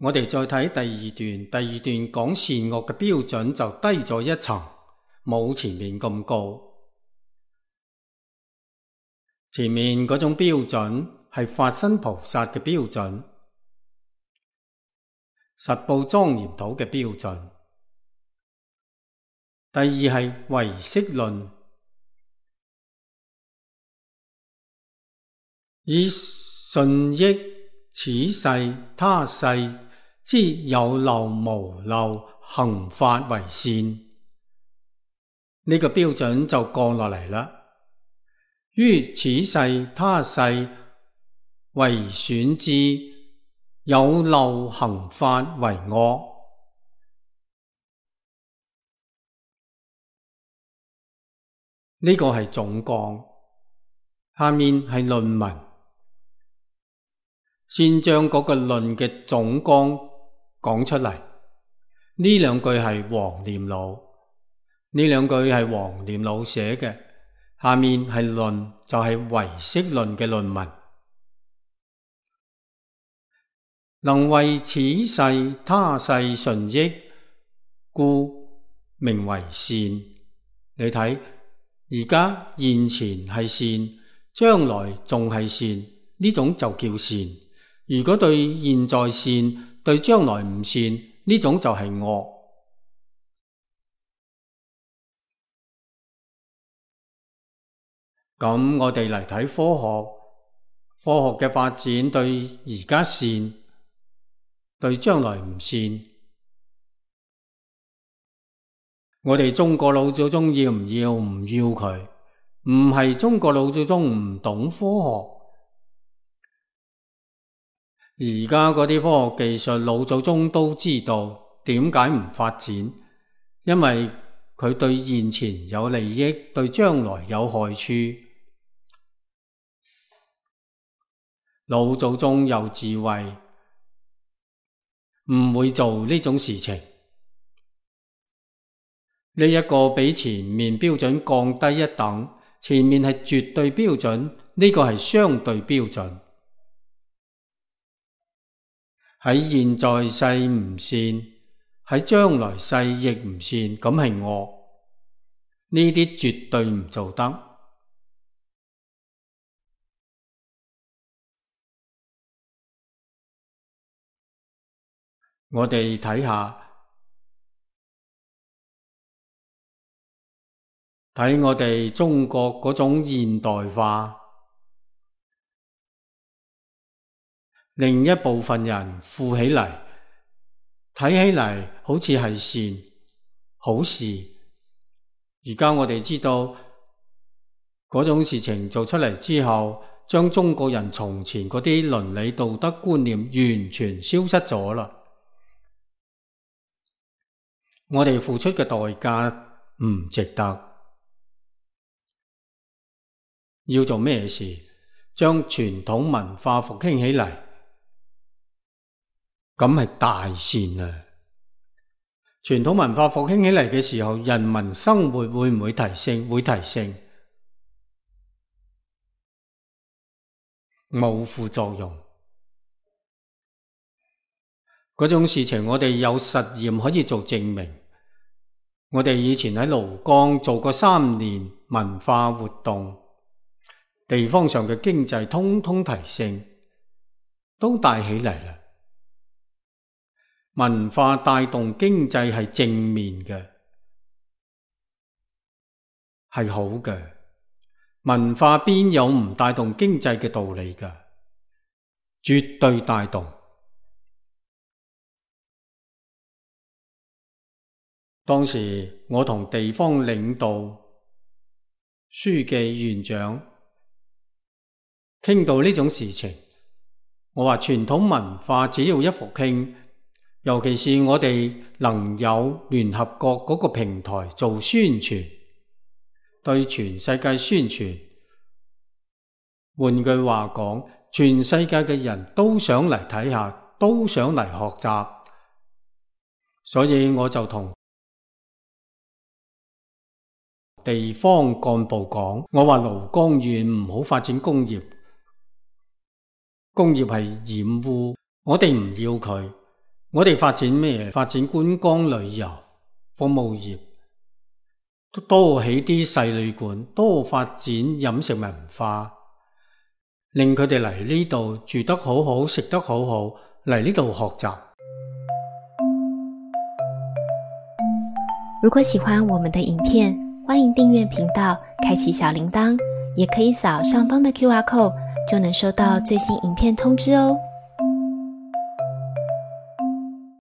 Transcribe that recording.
我哋再睇第二段，第二段講善惡嘅標準就低咗一層，冇前面咁高。前面嗰種標準係法身菩薩嘅標準，實報莊嚴土嘅標準。第二係唯識論，以順益此世他世之有漏無漏行法為善，呢個標準就降落嚟啦。於此世他世為選之有漏行法為惡，呢個係總綱，下面係論文。先將嗰個論嘅總綱講出嚟，呢兩句係黃念老，呢兩句係黃念老寫嘅，下面係論，就係唯識論嘅論文。能為此世他世順益，故名為善。你睇，而家現前係善，將來仲係善，呢種就叫善。如果對現在善，對將來唔善，呢種就係惡。咁我哋嚟睇科學，科學嘅發展對而家善，對將來唔善。我哋中國老祖宗要唔要？唔要佢，唔係中國老祖宗唔懂科學。而家嗰啲科學技術，老祖宗都知道點解唔發展，因為佢對現前有利益，對將來有害處。老祖宗有智慧，唔會做呢種事情。呢一個比前面標準降低一等，前面係絕對標準，呢個係相對標準。喺現在世唔善，喺將來世亦唔善，咁係惡。呢啲絕對唔做得。我哋睇下，睇我哋中國嗰種現代化，另一部分人富起嚟，睇起嚟好似係善好事。而家我哋知道嗰種事情做出嚟之後，將中國人從前嗰啲倫理道德觀念完全消失咗啦。我哋付出嘅代價唔值得。要做咩事？將傳統文化復興起嚟，咁係大善啊！傳統文化復興起嚟嘅時候，人民生活會唔會提升？會提升，冇副作用。嗰種事情我哋有實驗可以做證明。我哋以前喺廬江做過3年文化活動，地方上嘅經濟通通提升，都帶起嚟啦。文化帶動經濟係正面嘅，係好嘅。文化邊有唔帶動經濟嘅道理㗎？絕對帶動。當時我同地方領導、書記、院長傾到呢種事情，我話傳統文化只要一復興，尤其是我哋能有聯合國嗰個平台做宣傳，對全世界宣傳。換句話講，全世界嘅人都想嚟睇下，都想嚟學習，所以我就同地方幹部講，我話廬江縣唔好發展工業，工業係染污，我哋唔要佢。我哋發展咩？發展觀光旅遊、服務業，多起啲細旅館，多發展飲食文化，令佢哋嚟呢度住得好好，食得好好，嚟呢度學習。如果喜歡我們的影片，歡迎訂閱頻道，開啟小鈴鐺，也可以掃上方的QR code，就能收到最新影片通知哦。